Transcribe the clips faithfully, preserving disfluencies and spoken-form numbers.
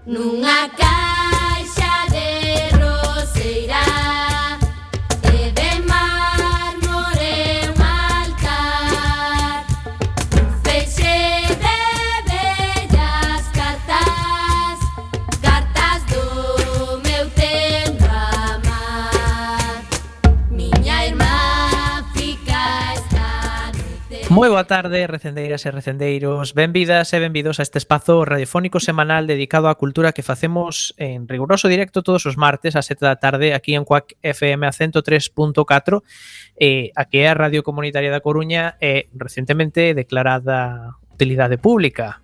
Nunha caixa de roseira e de mármore un altar, un feixe de bellas cartas, cartas do meu tempo a amar. Miña irmá fica esta noite. Moi boa tarde, recendeiras e recendeiros. Benvidas e benvidos a este espazo radiofónico semanal dedicado á cultura que facemos en riguroso directo todos os martes ás sete da tarde aquí en Cuac F M a ciento tres punto catro, eh, aquí é a Radio Comunitaria da Coruña e recentemente declarada utilidade pública.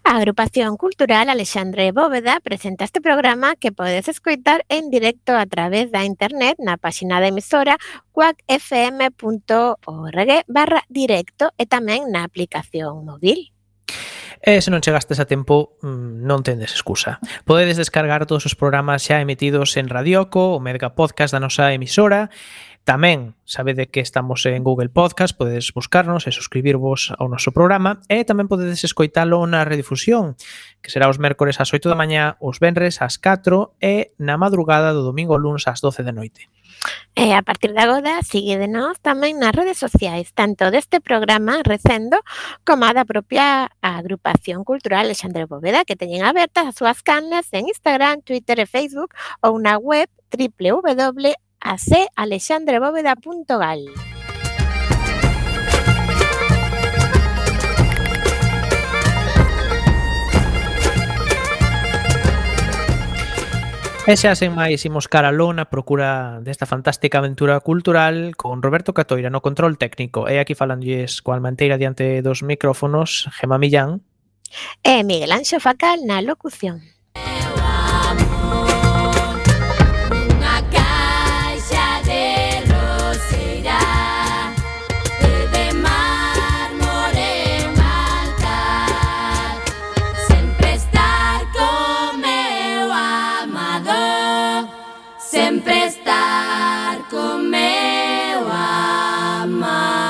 A Agrupación Cultural Alexandre Bóveda presenta este programa que podes escoitar en directo a través da internet na páxina da emisora cuacfm.org barra directo e tamén na aplicación móvil. E se non chegastes a tempo, non tendes excusa. Podedes descargar todos os programas xa emitidos en Radioco, o Mega Podcast da nosa emisora. Tamén sabede que estamos en Google Podcast, podedes buscarnos e suscribirvos ao noso programa e tamén podedes escoitalo na redifusión, que será os mércores ás oito da mañá, os venres ás catro e na madrugada do domingo ao luns ás doce da noite. E a partir de agora, síguedenos tamén nas redes sociais, tanto deste programa Recendo como a da propia Agrupación Cultural Alexandre Bóveda, que teñen abertas as súas canles en Instagram, Twitter e Facebook ou na web doble u doble u doble u punto a c alexandre bóveda punto gal. E xa sen máis imos cara a lona procura desta fantástica aventura cultural con Roberto Catoira no control técnico e aquí falandolles coa Almanteira diante dos micrófonos, Gemma Millán e Miguel Anxo Facal na locución. Sempre estar con meu amar.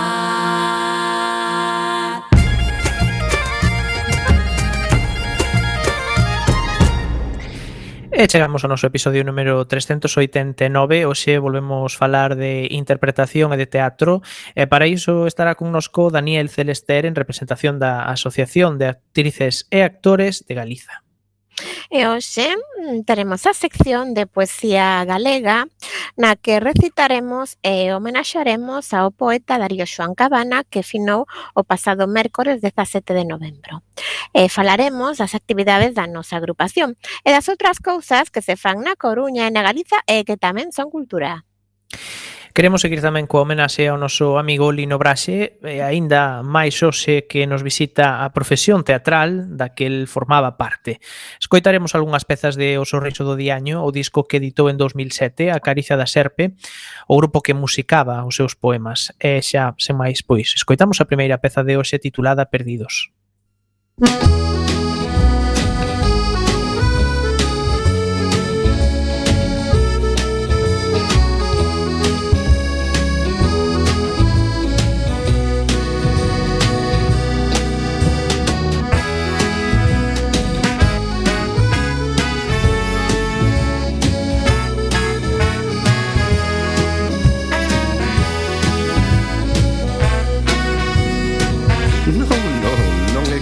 E chegamos ao noso episodio número trescentos oitenta e nove. Hoxe volvemos falar de interpretación e de teatro e para iso estará connosco Daniel Celester en representación da Asociación de Actrices e Actores de Galiza. E hoxe teremos a sección de poesía galega na que recitaremos e homenaxaremos ao poeta Darío Xoán Cabana que finou o pasado mércores dezasete de novembro. E falaremos das actividades da nosa agrupación e das outras cousas que se fan na Coruña e na Galiza e que tamén son cultura. Queremos seguir tamén coa homenaxe ao noso amigo Lino Braxe e aínda máis hoxe que nos visita a profesión teatral da que el formaba parte. Escoitaremos algunhas pezas de O Sorriso do Diaño, o disco que editou en dos mil sete, A Caricia da Serpe, o grupo que musicaba os seus poemas. E xa, sen máis, pois, escoitamos a primeira peza de hoxe titulada Perdidos.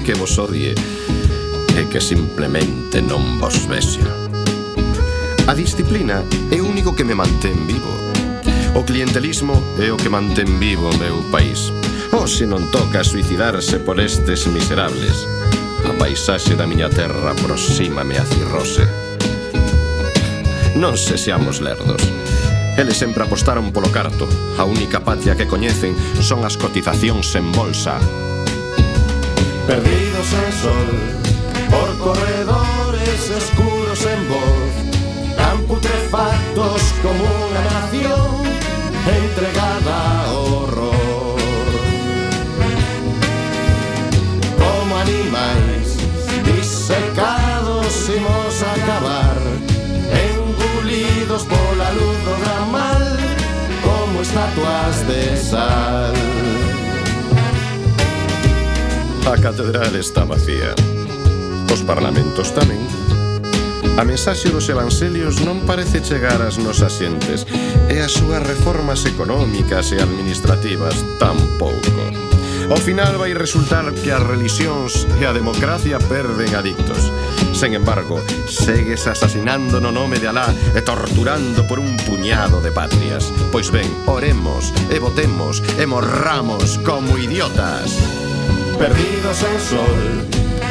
Que vos odie e que simplemente non vos vexo. A disciplina é o único que me mantén vivo. O clientelismo é o que mantén vivo o meu país. O se non toca suicidarse por estes miserables, a paisaxe da miña terra aproxímame a cirrose. Non se seamos lerdos. Eles sempre apostaron polo carto. A única patria que coñecen son as cotizacións en bolsa. Perdidos en sol, por corredores escuros en voz, tan putrefactos como unha nación entregada ao horror. Como animais disecados imos acabar, engulidos pola luz do gran mal, estatuas de sal. A catedral está vacía. Os parlamentos tamén. A mensaxe dos evangelios non parece chegar ás nosas xentes, e as súas reformas económicas e administrativas tampouco. Ao final vai resultar que as religións e a democracia perden adictos. Sen embargo, segues asasinando no nome de Alá e torturando por un puñado de patrias. Pois ben, oremos e votemos e morramos como idiotas. Perdidos en sol,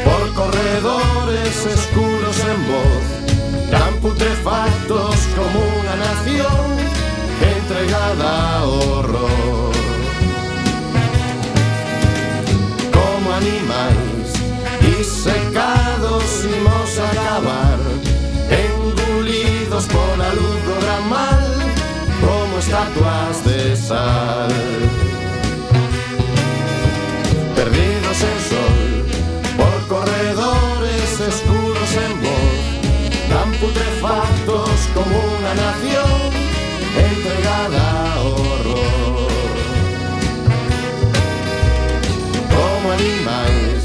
por corredores escuros en voz, tan putrefactos como una nación entregada a horror. Como animais disecados imos a acabar, engullidos pola luz do gran mal, como estatuas de sal. Perdidos en sol, por corredores escuros en voz, tan putrefactos como una nación entregada a horror. Como animais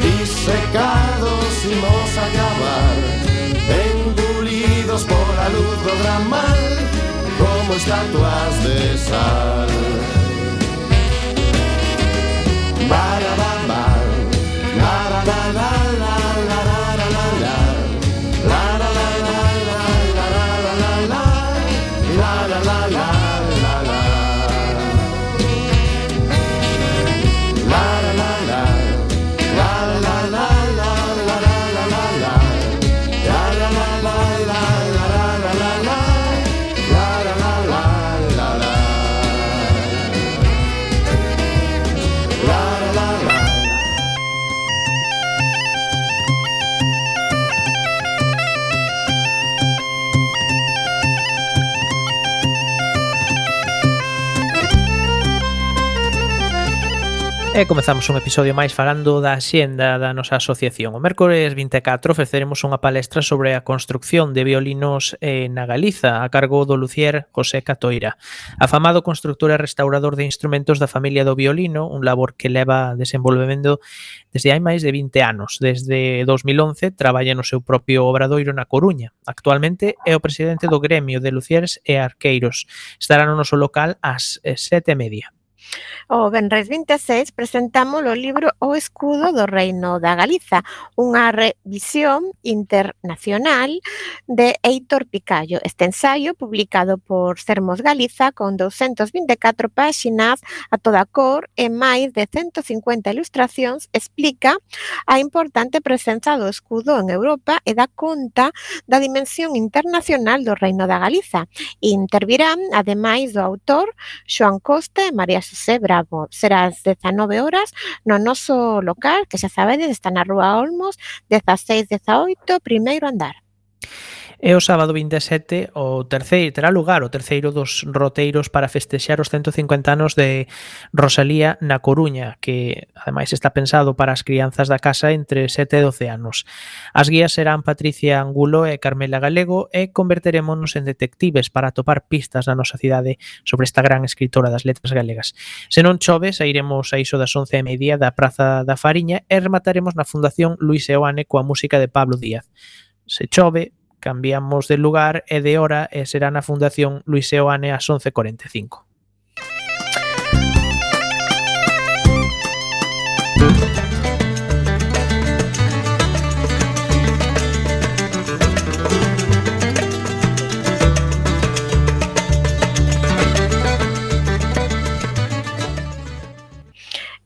disecados imos a acabar, engullidos por la luz do gran mal, como estatuas de sal. E comezamos un episodio máis falando da xenda da nosa asociación. O mércores vinte e catro ofreceremos unha palestra sobre a construcción de violinos eh, na Galiza a cargo do Lucier José Catoira, afamado constructor e restaurador de instrumentos da familia do violino, un labor que leva desenvolvemento desde hai máis de vinte anos. Desde dos mil once traballa no seu propio obradoiro na Coruña. Actualmente é o presidente do gremio de luciers e arqueiros. Estará no noso local ás sete e media. O venres vinte e seis presentamos o libro O escudo do Reino da Galiza, unha revisión internacional de Heitor Picallo. Este ensaio, publicado por Sermos Galiza, con douscentas vinte e catro páxinas a toda cor e máis de ciento cincuenta ilustracións, explica a importante presenza do escudo en Europa e dá conta da dimensión internacional do Reino da Galiza. Intervirán, ademais do autor, Xoán Costa e María Xosé Bravo. Será ás dezanove horas no noso local, que xa sabedes, está na Rúa Olmos, dezaseis dezaoito, primeiro andar. E o sábado vinte e sete o terceiro terá lugar o terceiro dos roteiros para festexar os ciento cincuenta anos de Rosalía na Coruña, que ademais está pensado para as crianzas da casa entre sete e doce anos. As guías serán Patricia Angulo e Carmela Galego e converterémonos en detectives para atopar pistas na nosa cidade sobre esta gran escritora das letras galegas. Se non chove, sairemos a iso das once e media da Praza da Fariña e remataremos na Fundación Luis Seoane coa música de Pablo Díaz. Se chove, cambiamos de lugar e de hora e será na Fundación Luis Seoane ás once e cuarenta e cinco.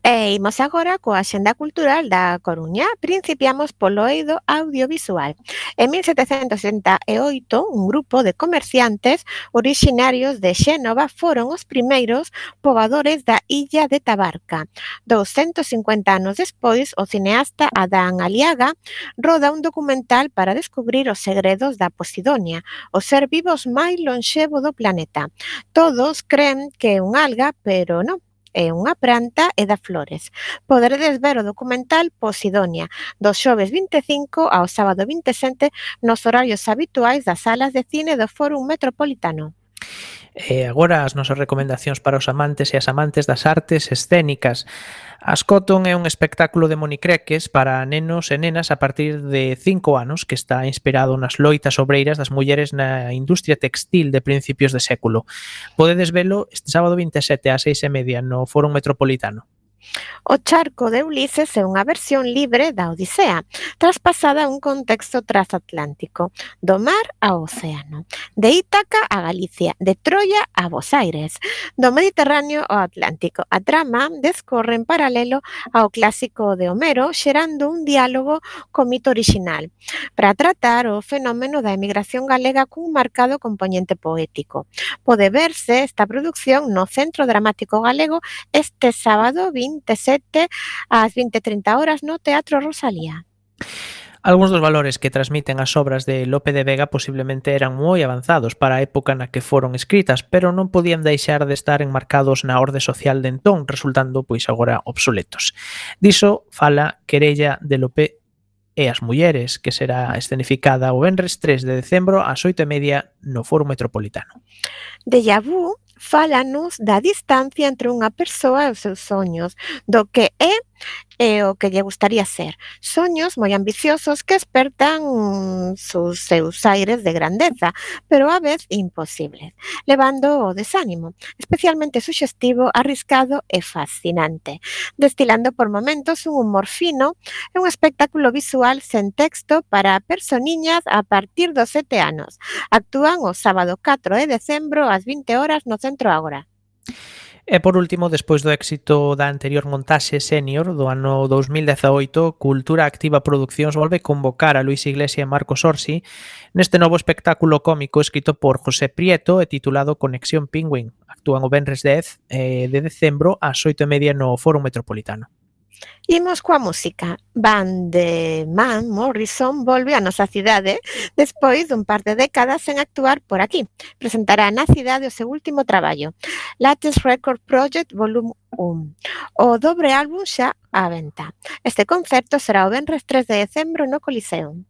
E imos agora coa Axenda Cultural da Coruña. Principiamos polo eido audiovisual. En mil setecentos setenta e oito, un grupo de comerciantes orixinarios de Xénova foron os primeiros pobadores da illa de Tabarca. douscentos cincuenta anos despois, o cineasta Adán Aliaga roda un documental para descubrir os segredos da Posidonia, o ser vivos máis lonxevo do planeta. Todos creen que é un alga, pero non. É unha planta e da flores. Poderedes ver o documental Posidonia do xoves vinte e cinco ao sábado vinte e sete nos horarios habituais das salas de cine do Fórum Metropolitano. E agora as nosas recomendacións para os amantes e as amantes das artes escénicas. Ascoton é un espectáculo de monicreques para nenos e nenas a partir de cinco anos que está inspirado nas loitas obreiras das mulleres na industria textil de principios de século. Podedes velo este sábado vinte e sete ás seis e media no Fórum Metropolitano. O charco de Ulises é unha versión libre da Odisea, traspasada a un contexto transatlántico, do mar ao océano, de Ítaca a Galicia, de Troia a Bos Aires, do Mediterráneo ao Atlántico. A trama descorre en paralelo ao clásico de Homero, xerando un diálogo co mito orixinal, para tratar o fenómeno da emigración galega cun marcado componente poético. Pode verse esta produción no Centro Dramático Galego este sábado vinte e sete ás vinte e trinta horas no Teatro Rosalía. Algúns dos valores que transmiten as obras de Lope de Vega posiblemente eran moi avanzados para a época na que foron escritas, pero non podían deixar de estar enmarcados na orde social de entón, resultando pois agora obsoletos. Diso fala Querella de Lope e as mulleres, que será escenificada o venres tres de decembro ás oito e media no Foro Metropolitano. Déjà vu fálanos da distancia entre unha persoa e os seus soños, do que é e o que lle gustaría ser. Soños moi ambiciosos que espertan sus seus aires de grandeza, pero á vez imposibles, levando o desánimo, especialmente suxestivo, arriscado e fascinante, destilando por momentos un humor fino e un espectáculo visual sen texto para personiñas a partir dos sete anos. Actúan o sábado catro de decembro ás vinte horas no Centro Ágora. E por último, despois do éxito da anterior montaxe senior do ano dous mil dezaoito, Cultura Activa Produccións volve convocar a Luis Iglesia e Marcos Orsi neste novo espectáculo cómico escrito por José Prieto e titulado Conexión Pingüín. Actúan o venres dez de decembro ás oito e media no Foro Metropolitano. Imos coa música. Van de Man Morrison volve á nosa cidade despois dun par de décadas sen actuar por aquí. Presentará na cidade o seu último traballo, Latest Record Project Volume un, o dobre álbum xa á venta. Este concerto será o venres tres de decembro no Coliseum.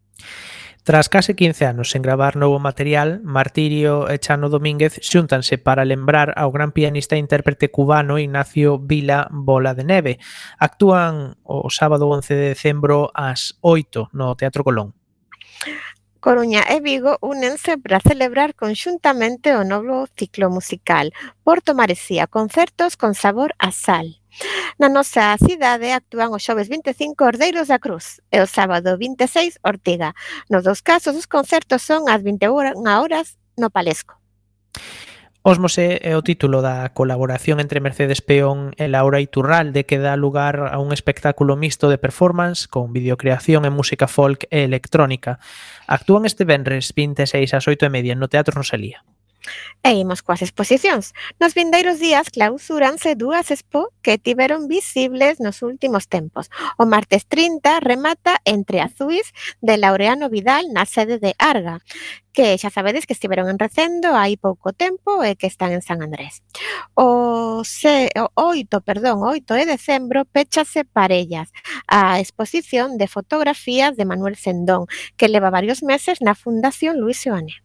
Tras case quince anos sen gravar novo material, Martirio e Chano Domínguez xúntanse para lembrar ao gran pianista e intérprete cubano Ignacio Vila Bola de Neve. Actúan o sábado once de decembro ás oito no Teatro Colón. Coruña e Vigo únense para celebrar conxuntamente o novo ciclo musical Porto Maresía, concertos con sabor a sal. Na nosa cidade actúan os xoves vinte e cinco Ordeiros da Cruz e o sábado vinte e seis Ortiga. Nos dous casos, os concertos son ás vinte e unha horas no Palesco. Osmose é o título da colaboración entre Mercedes Peón e Laura Iturralde que dá lugar a un espectáculo mixto de performance con videocreación e música folk e electrónica. Actúan este venres vinte e seis ás oito e media no Teatro Rosalía. E imos coas exposicións. Nos vindeiros días clausúranse dúas expo que tiveron visibles nos últimos tempos. O martes trinta remata Entre Azuis de Laureano Vidal na sede de Arga, que xa sabedes que estiveron en Recendo hai pouco tempo e que están en San Andrés. O, se, o oito, perdón, oito de decembro péchase Parellas, a exposición de fotografías de Manuel Sendón, que leva varios meses na Fundación Luis Seoane.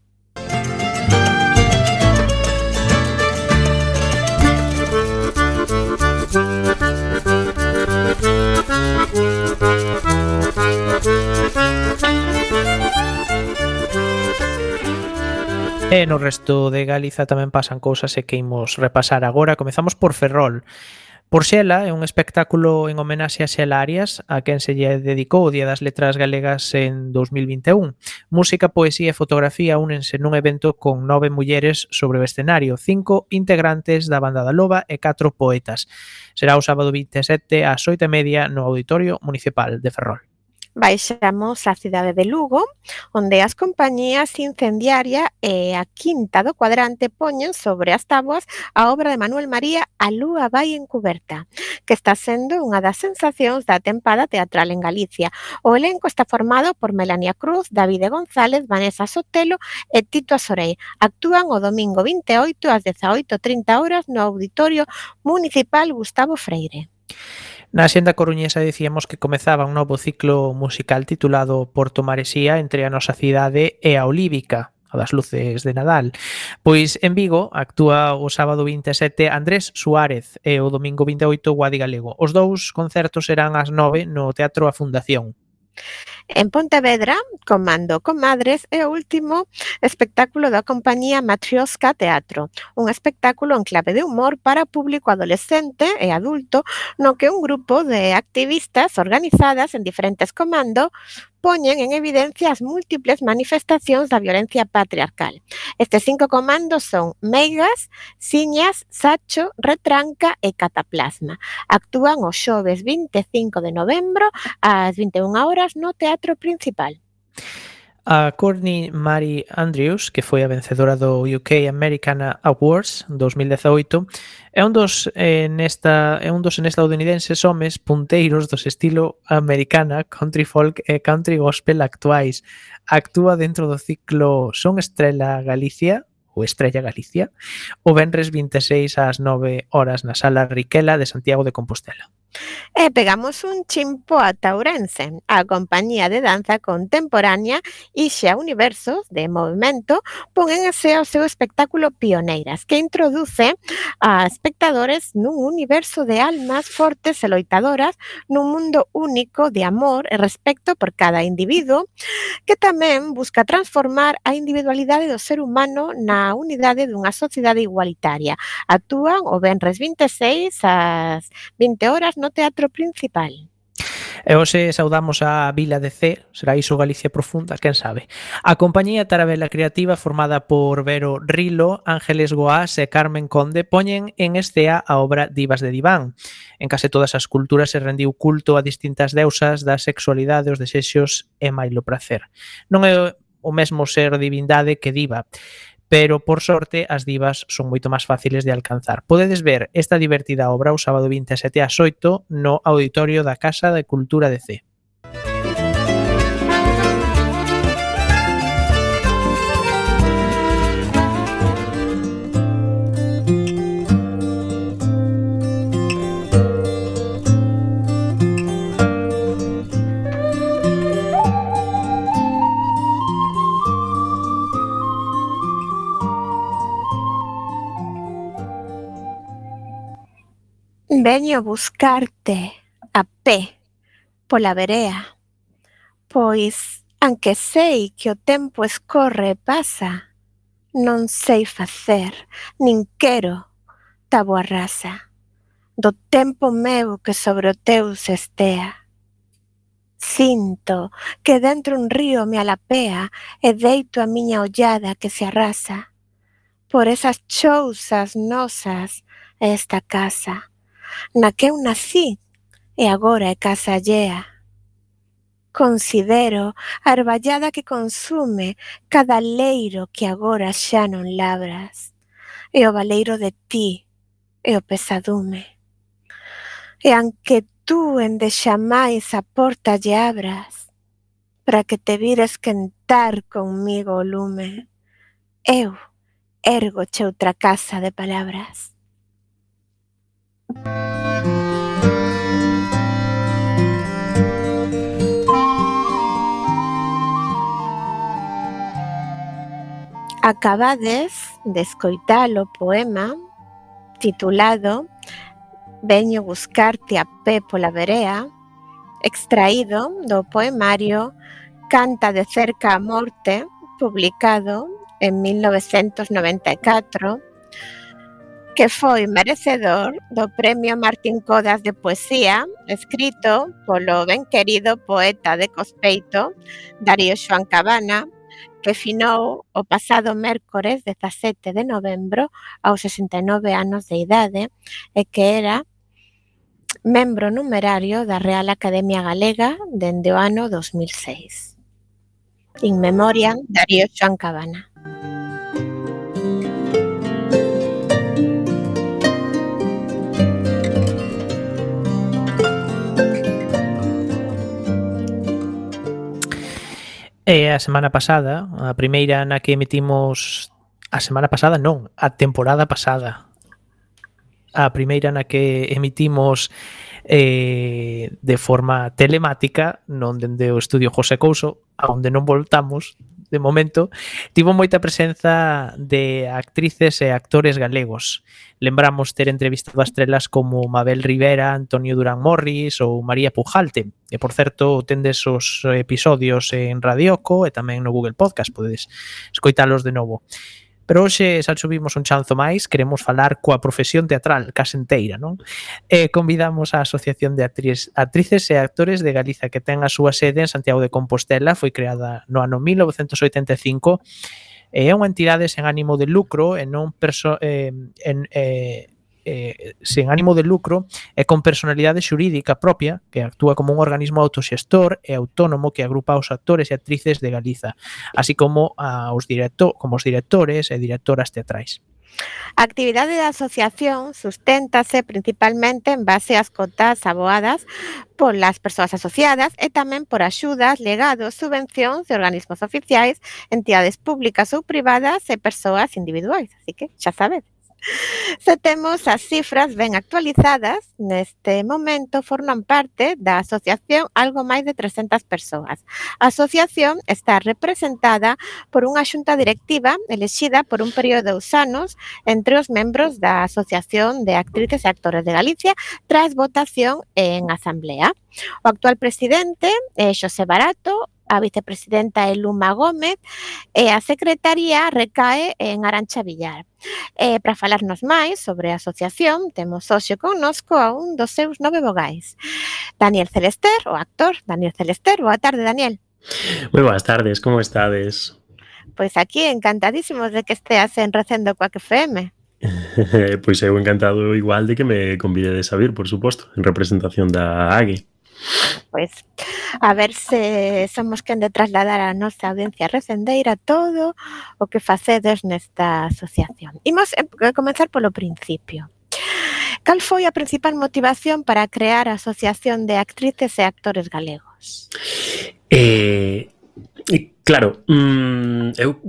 E no resto de Galiza tamén pasan cousas e que imos repasar agora. Comezamos por Ferrol. Porxela é un espectáculo en homenaxe a Xela Arias, a quen se lle dedicou o Día das Letras Galegas en dous mil vinte e un. Música, poesía e fotografía únense nun evento con nove mulleres sobre o escenario, cinco integrantes da Banda da Loba e catro poetas. Será o sábado vinte e sete ás oito e media no Auditorio Municipal de Ferrol. Baixamos á cidade de Lugo, onde as compañías Incendiaria e a Quinta do Cuadrante poñen sobre as táboas a obra de Manuel María A lúa vai encuberta, que está sendo unha das sensacións da tempada teatral en Galicia. O elenco está formado por Melania Cruz, Davide González, Vanessa Sotelo e Tito Azorei. Actúan o domingo vinte e oito ás dezaoito e trinta horas no Auditorio Municipal Gustavo Freire. Na Xenda coruñesa dicíamos que comezaba un novo ciclo musical titulado Porto Maresía entre a nosa cidade e a Olívica. o das luces de Nadal. Pois en Vigo actúa o sábado vinte e sete Andrés Suárez e o domingo vinte e oito Guadi Galego. Os dous concertos serán ás nove no Teatro A Fundación. En Pontevedra, Comando Comadres é o último espectáculo da compañía Matrioska Teatro, un espectáculo en clave de humor para público adolescente e adulto no que un grupo de activistas organizadas en diferentes comandos poñen en evidencia as múltiples manifestacións da violencia patriarcal. Estes cinco comandos son Meigas, Siñas, Sacho, Retranca e Cataplasma. Actúan o xoves vinte e cinco de novembro ás vinte e unha horas no Teatro Principal. A Courtney Mary Andrews, que foi a vencedora do U K American Awards dos mil dezaoito, é un dos eh, nesta é un dos estadounidenses homes punteiros dos estilo americana, country folk e country gospel actuais. Actúa dentro do ciclo Son Estrela Galicia ou Estrella Galicia o venres vinte e seis ás nove horas na Sala Riquela de Santiago de Compostela. E pegamos un chimpo ata Ourense. A compañía de danza contemporánea Ixa Universos de Movimento pon en ese o seu espectáculo Pioneiras, que introduce a espectadores nun universo de almas fortes e loitadoras nun mundo único de amor e respecto por cada individuo, que tamén busca transformar a individualidade do ser humano na unidade dunha sociedade igualitaria. Actúan o venres vinte e seis ás vinte horas no Teatro Principal. E hoxe saudamos a Vila de C, será iso Galicia profunda, quen sabe. A compañía Tarabela Creativa, formada por Vero Rilo, Ángeles Goás e Carmen Conde, poñen en escea a obra Divas de Diván. En case todas as culturas se rendiu culto a distintas deusas da sexualidade, os desexos e mailo pracer. Non é o mesmo ser divindade que diva, pero por sorte as divas son moito máis fáciles de alcanzar. Podedes ver esta divertida obra o sábado vinte e sete ás oito no auditorio da Casa de Cultura de C. Veño buscarte a pé pola verea, pois, anque sei que o tempo escorre e pasa, non sei facer, nin quero táboa rasa, do tempo meu que sobre o teu se estea. Sinto que dentro un río me alapea e deito a miña ollada que se arrasa por esas chousas nosas e esta casa, na que eu nací e agora é casa allea. Considero a arballada que consume cada leiro que agora xa non labras, e o baleiro de ti e o pesadume. E anque tú endexamais a porta lle abras, para que te vires quentar conmigo o lume, eu ergoche outra casa de palabras. Acabades de escoitar o poema titulado Veño buscarte a pé pola verea, extraído do poemario Canta de cerca a morte, publicado en mil novecentos noventa e catro, que foi merecedor do Premio Martín Codas de Poesía, escrito polo ben querido poeta de Cospeito, Darío Xoán Cabana, que finou o pasado mércores dezasete de novembro aos sesenta e nove anos de idade e que era membro numerario da Real Academia Galega dende o ano dos mil seis. In memoriam, Darío Xoán Cabana. E a semana pasada, a primeira na que emitimos... A semana pasada non, a temporada pasada. A primeira na que emitimos eh, de forma telemática, non dende o estudio José Couso, a onde non voltamos de momento, tivo moita presenza de actrices e actores galegos. Lembramos ter entrevistado a estrelas como Mabel Rivera, Antonio Durán Morris ou María Pujalte. E, por certo, tendes os episodios en Radioco e tamén no Google Podcast, podedes escoitalos de novo. Pero hoxe xa subimos un chanzo máis, queremos falar coa profesión teatral, case enteira, non? E convidamos a Asociación de Actriz, Actrices e Actores de Galiza, que ten a súa sede en Santiago de Compostela, foi creada no ano mil novecentos oitenta e cinco, e é unha entidade sen ánimo de lucro e non perso, eh, en, eh, eh, sen ánimo de lucro e con personalidade xurídica propia, que actúa como un organismo autoxestor e autónomo que agrupa os actores e actrices de Galiza, así como a os directo, como os directores e directoras teatrais. A actividade da asociación susténtase principalmente en base ás cotas aboadas polas persoas asociadas e tamén por axudas, legados, subvencións de organismos oficiais, entidades públicas ou privadas e persoas individuais. Así que xa sabedes. Se temos as cifras ben actualizadas, neste momento forman parte da asociación algo máis de trescentas persoas. A asociación está representada por unha xunta directiva elexida por un período de dous anos entre os membros da Asociación de Actrices e Actores de Galicia tras votación en asamblea. O actual presidente é Xosé Barato, a vicepresidenta é Luma Gómez e a secretaría recae en Arantxa Villar. E para falarnos máis sobre a asociación, temos hoxe connosco a un dos seus nove vogais. Daniel Celester, o actor Daniel Celester. Boa tarde, Daniel. Moi boas tardes, como estades? Pois aquí encantadísimos de que esteas en Recendo coa F M. Pois eu encantado igual de que me convidedes a vir, por suposto, en representación da A G E. Pois, a ver se somos quen de trasladar a nosa audiencia recendeira todo o que facedes nesta asociación. Imos comenzar polo principio. Cal foi a principal motivación para crear a Asociación de Actrices e Actores Galegos? Eh, claro, mm, eu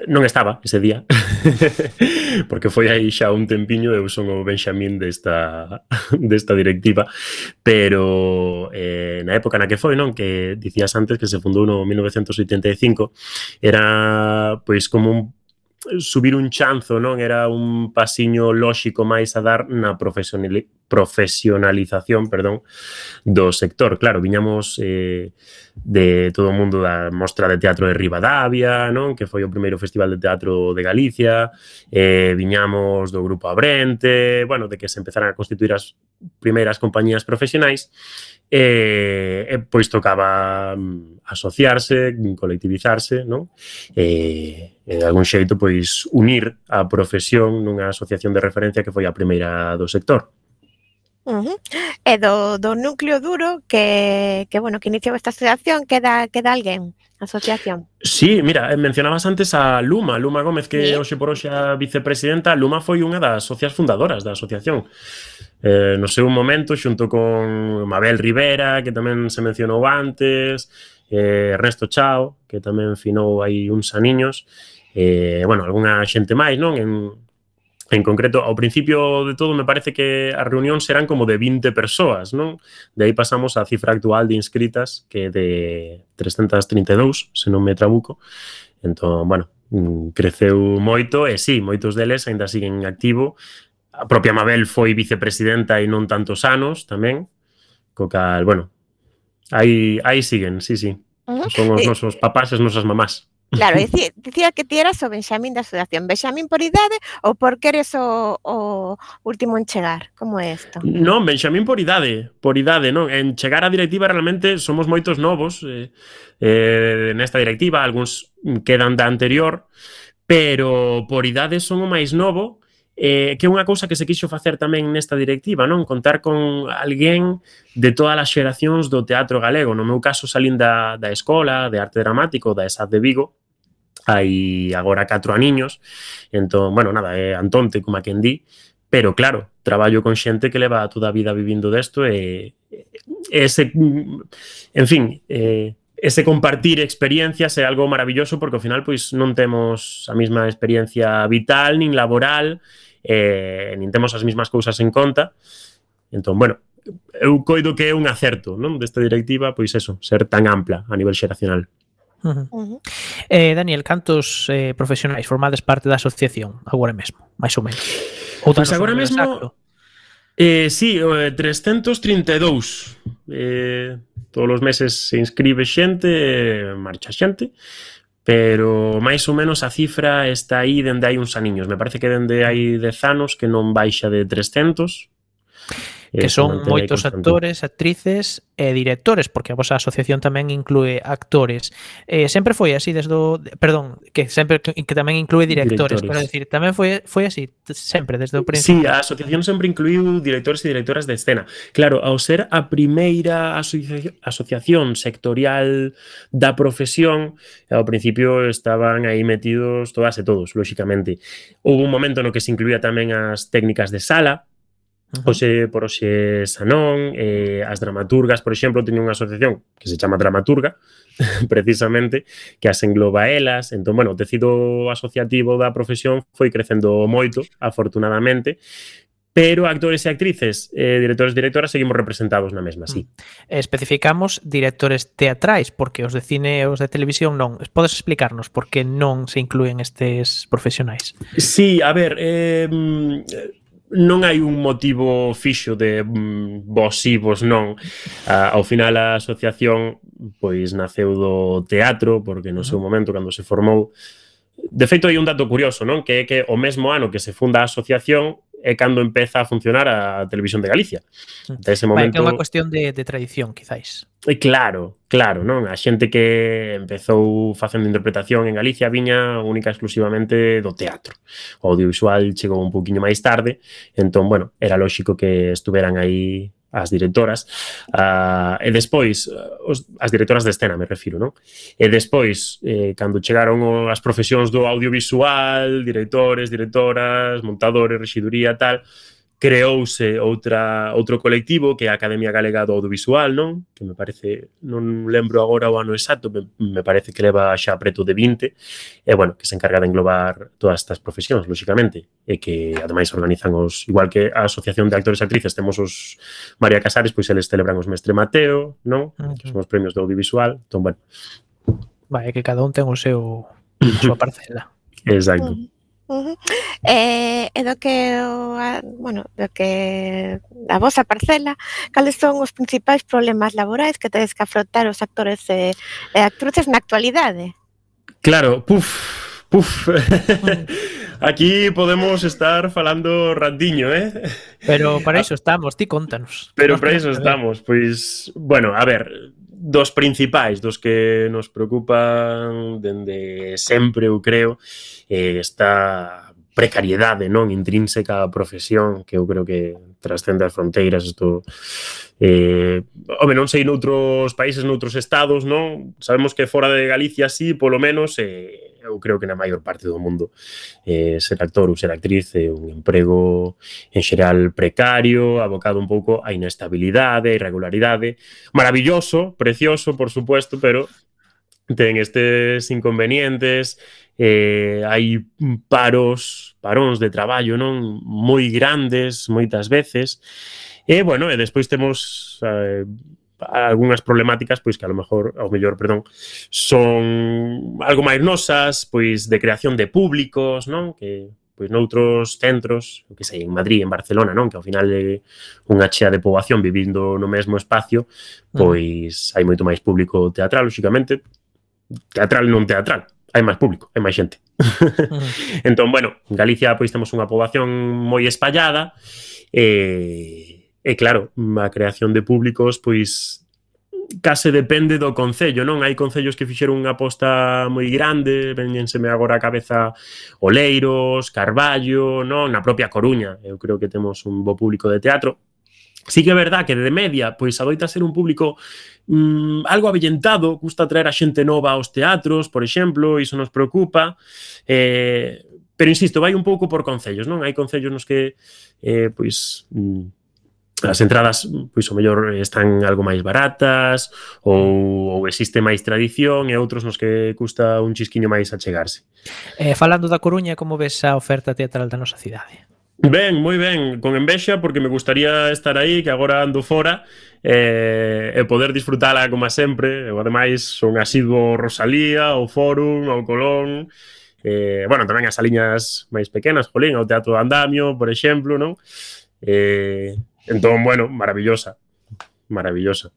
non estaba ese día, porque foi aí xa un tempiño, eu son o Benxamín desta, desta directiva, pero eh, na época na que foi, non, que dicías antes que se fundou no mil novecentos oitenta e cinco, era pois como un subir un chanzo, non? Era un pasiño lóxico máis a dar na profesionalización, perdón, do sector. Claro, viñamos eh, de todo o mundo da Mostra de Teatro de Ribadavia, non? Que foi o primeiro festival de teatro de Galicia, eh, viñamos do Grupo Abrente, bueno, de que se empezaran a constituir as primeiras compañías profesionais, e, e pois tocaba asociarse, colectivizarse, non? E, e de algún xeito, pois, unir a profesión nunha asociación de referencia que foi a primeira do sector. Uh-huh. E do, do núcleo duro que, que, bueno, que iniciou esta asociación, queda, queda alguén? Asociación. Sí, mira, mencionabas antes a Luma, Luma Gómez, que sí. Hoxe por hoxe a vicepresidenta. Luma foi unha das socias fundadoras da asociación. Eh, no seu momento, xunto con Mabel Rivera, que tamén se mencionou antes, eh, Ernesto Chao, que tamén finou aí uns aniños, eh, bueno, algunha xente máis, non? En, en concreto, ao principio de todo, me parece que as reunións serán como de vinte persoas, non? De aí pasamos á cifra actual de inscritas, que é de trescentas trinta e dous, se non me trabuco. Entón, bueno, creceu moito, e sí, moitos deles ainda siguen en activo. A propia Mabel foi vicepresidenta e non tantos anos tamén, co cal, bueno, aí, aí siguen, sí, sí. Uh-huh. Son os nosos papás e as nosas mamás. Claro, dicía, dicía que ti eras o Benxamín da asociación. Benxamín por idade ou porque eres o, o último en chegar? Como é isto? Non, Benxamín por idade, por idade, non? En chegar á directiva realmente somos moitos novos eh, eh, nesta directiva, algúns quedan da anterior, pero por idade son o máis novo, eh, que é unha cousa que se quixo facer tamén nesta directiva, non? Contar con alguén de todas as xeracións do teatro galego. No meu caso salín da, da escola de arte dramático da ESAD de Vigo, hai agora catro aniños, entón, bueno, nada, é Antonte, como a quen di, pero claro, traballo con xente que leva toda a vida vivindo desto e ese, en fin, eh, ese compartir experiencias é algo maravilloso porque ao final pois non temos a mesma experiencia vital nin laboral, eh, nin temos as mesmas cousas en conta. Entón, bueno, eu coido que é un acerto, non, desta directiva, pois eso, ser tan ampla a nivel xeracional. Uh -huh. Uh -huh. Eh, Daniel, cantos eh, profesionais formades parte da asociación agora mesmo, máis ou menos? Ou Pois danos un agora número mesmo, exacto? eh, sí, eh, trescentos trinta e dous. Eh, todos os meses se inscribe xente, eh, marcha xente, pero máis ou menos a cifra está aí dende hai uns aniños. Me parece que dende hai dez anos que non baixa de trescentos. Que son moitos actores, actrices e directores, porque a vosa asociación tamén inclúe actores. Eh, sempre foi así desde o... Perdón, que sempre que, que tamén inclúe directores, Directores. quero decir, tamén foi foi así sempre desde o Sí, principio. a asociación sempre incluiu directores e directoras de escena. Claro, ao ser a primeira asocia asociación sectorial da profesión, ao principio estaban aí metidos todas e todos, lóxicamente. Houve un momento no que se incluía tamén as técnicas de sala, Uh -huh. Oxe, por oxe Sanón, eh, as dramaturgas, por exemplo, teñen unha asociación que se chama Dramaturga, precisamente, que as engloba elas. Entón, bueno, o tecido asociativo da profesión foi crecendo moito, afortunadamente, pero actores e actrices, eh, directores e directoras, seguimos representados na mesma, sí. Especificamos directores teatrais, porque os de cine e os de televisión non. Podes explicarnos por que non se inclúen estes profesionais? Sí, a ver, eh, non hai un motivo fixo de mm, vos si, vos non. Ah, ao final a asociación pois naceu do teatro, porque no seu momento, cando se formou, de feito hai un dato curioso, non? Que é que o mesmo ano que se funda a asociación é cando empeza a funcionar a Televisión de Galicia. Até ese momento... Vai, que é unha cuestión de, de tradición, quizáis. E claro, claro, non? A xente que empezou facendo interpretación en Galicia viña única exclusivamente do teatro. O audiovisual chegou un poquinho máis tarde, entón, bueno, era lóxico que estuveran aí as directoras, uh, e despois os, as directoras de escena, me refiro, non? E despois, eh, cando chegaron as profesións do audiovisual, directores, directoras, montadores, rexiduría, tal, creouse outra outro colectivo que é a Academia Galega do Audiovisual, non? Que me parece, non lembro agora o ano exacto, me, me parece que leva xa preto de vinte, e bueno, que se encarga de englobar todas estas profesións, lóxicamente, e que ademais organizan os, igual que a Asociación de Actores e Actrices, temos os María Casares, pois eles celebran os Mestre Mateo, non? Uh -huh. Que son os premios do audiovisual, entón, bueno. Vai, que cada un ten o seu a súa parcela. Exacto. Uh -huh. Uh -huh. eh, e do que o, a, bueno, do que a vosa parcela, cales son os principais problemas laborais que tedes que afrontar os actores e, e actrices na actualidade? Claro, puf, puf. Aquí podemos estar falando randiño, eh? Pero para iso estamos, ti contanos. Pero para iso estamos, pois, bueno, a ver, dos principais, dos que nos preocupan dende sempre, eu creo, eh, está precariedade, non, intrínseca á profesión, que eu creo que trascende as fronteiras, isto eh, home, non sei noutros países, noutros estados, non? Sabemos que fora de Galicia sí, polo menos, eh, eu creo que na maior parte do mundo eh, ser actor ou ser actriz é un emprego en xeral precario, abocado un pouco á inestabilidade, á irregularidade, maravilloso, precioso, por supuesto, pero ten estes inconvenientes, eh, hai paros, paróns de traballo, non, moi grandes moitas veces, e, bueno, e despois temos eh, algunhas problemáticas, pois que a lo mejor, ao mellor, perdón, son algo máis nosas, pois de creación de públicos, non, que pois noutros centros, que sei, en Madrid, en Barcelona, non, que ao final é unha chea de poboación vivindo no mesmo espacio, pois hai moito máis público teatral, lóxicamente, teatral non teatral, hai máis público, hai máis xente. Uh-huh. Entón, bueno, en Galicia pois temos unha poboación moi espallada e, e claro, a creación de públicos pois case depende do concello, non? Hai concellos que fixeron unha aposta moi grande, veñenseme agora a cabeza Oleiros, Carballo, non? Na propia Coruña, eu creo que temos un bo público de teatro. Sí que é verdad que de media, pois adoita ser un público mmm, algo avellentado, gusta traer a xente nova aos teatros, por exemplo, iso nos preocupa, eh, pero insisto, vai un pouco por concellos, non? Hai concellos nos que, eh, pois, mmm, as entradas, pois, o mellor están algo máis baratas, ou, ou existe máis tradición, e outros nos que custa un chisquiño máis achegarse. Eh, falando da Coruña, como ves a oferta teatral da nosa cidade? Ben, moi ben, con envexa porque me gustaría estar aí, que agora ando fora eh, e poder disfrutala como sempre. Eu ademais son asiduo ao Rosalía, ao Fórum, ao Colón, eh, bueno, tamén as saliñas máis pequenas, jolín, ao Teatro Andamio, por exemplo, non? Eh, entón, bueno, maravillosa, maravillosa.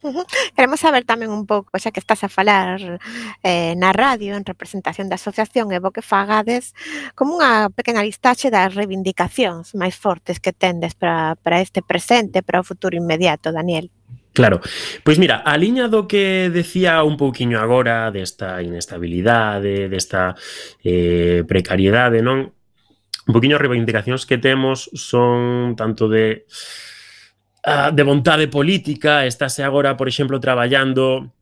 Uh-huh. Queremos saber tamén un pouco, xa que estás a falar eh, na radio en representación da asociación e bo que fagades como unha pequena listaxe das reivindicacións máis fortes que tendes para, para este presente, para o futuro inmediato, Daniel. Claro, pois mira, a liña do que decía un pouquiño agora desta inestabilidade, desta eh, precariedade, non? Un pouquiño as reivindicacións que temos son tanto de de vontade política. Estáse agora, por exemplo, traballando.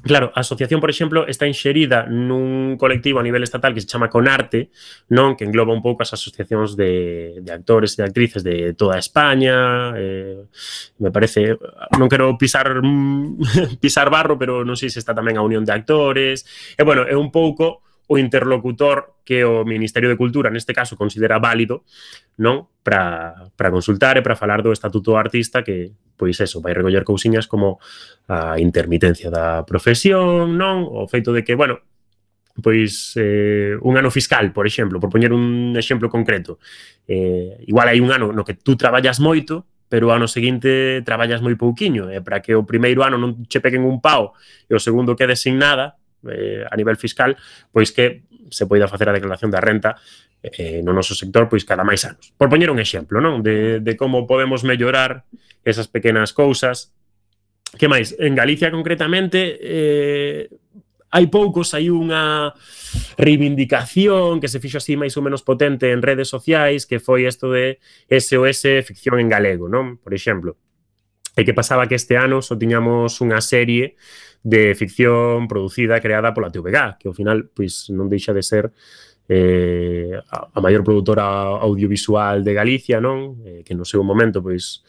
Claro, a asociación, por exemplo, está inxerida nun colectivo a nivel estatal que se chama Conarte, non? Que engloba un pouco as asociacións de, de actores e de actrices de toda España. Eh, me parece, non quero pisar pisar barro, pero non sei se está tamén a Unión de Actores. E, bueno, é un pouco o interlocutor que o Ministerio de Cultura, neste caso, considera válido, non? Para, para consultar e para falar do estatuto do artista, que, pois eso, vai recoller cousiñas como a intermitencia da profesión, non? O feito de que, bueno, pois eh, un ano fiscal, por exemplo, por poñer un exemplo concreto, eh, igual hai un ano no que tú traballas moito, pero o ano seguinte traballas moi pouquiño, e para que o primeiro ano non che peguen un pao e o segundo quede sin nada, eh, a nivel fiscal, pois que se poida facer a declaración da renta eh, no noso sector pois cada máis anos. Por poñer un exemplo, non? De, de como podemos mellorar esas pequenas cousas. Que máis? En Galicia, concretamente, eh, hai poucos, hai unha reivindicación que se fixo así máis ou menos potente en redes sociais, que foi isto de S O S Ficción en Galego, non? Por exemplo. E que pasaba que este ano só tiñamos unha serie de ficción producida, creada pola T V G, que ao final pois non deixa de ser eh, a maior produtora audiovisual de Galicia, non? Eh, que no seu momento pois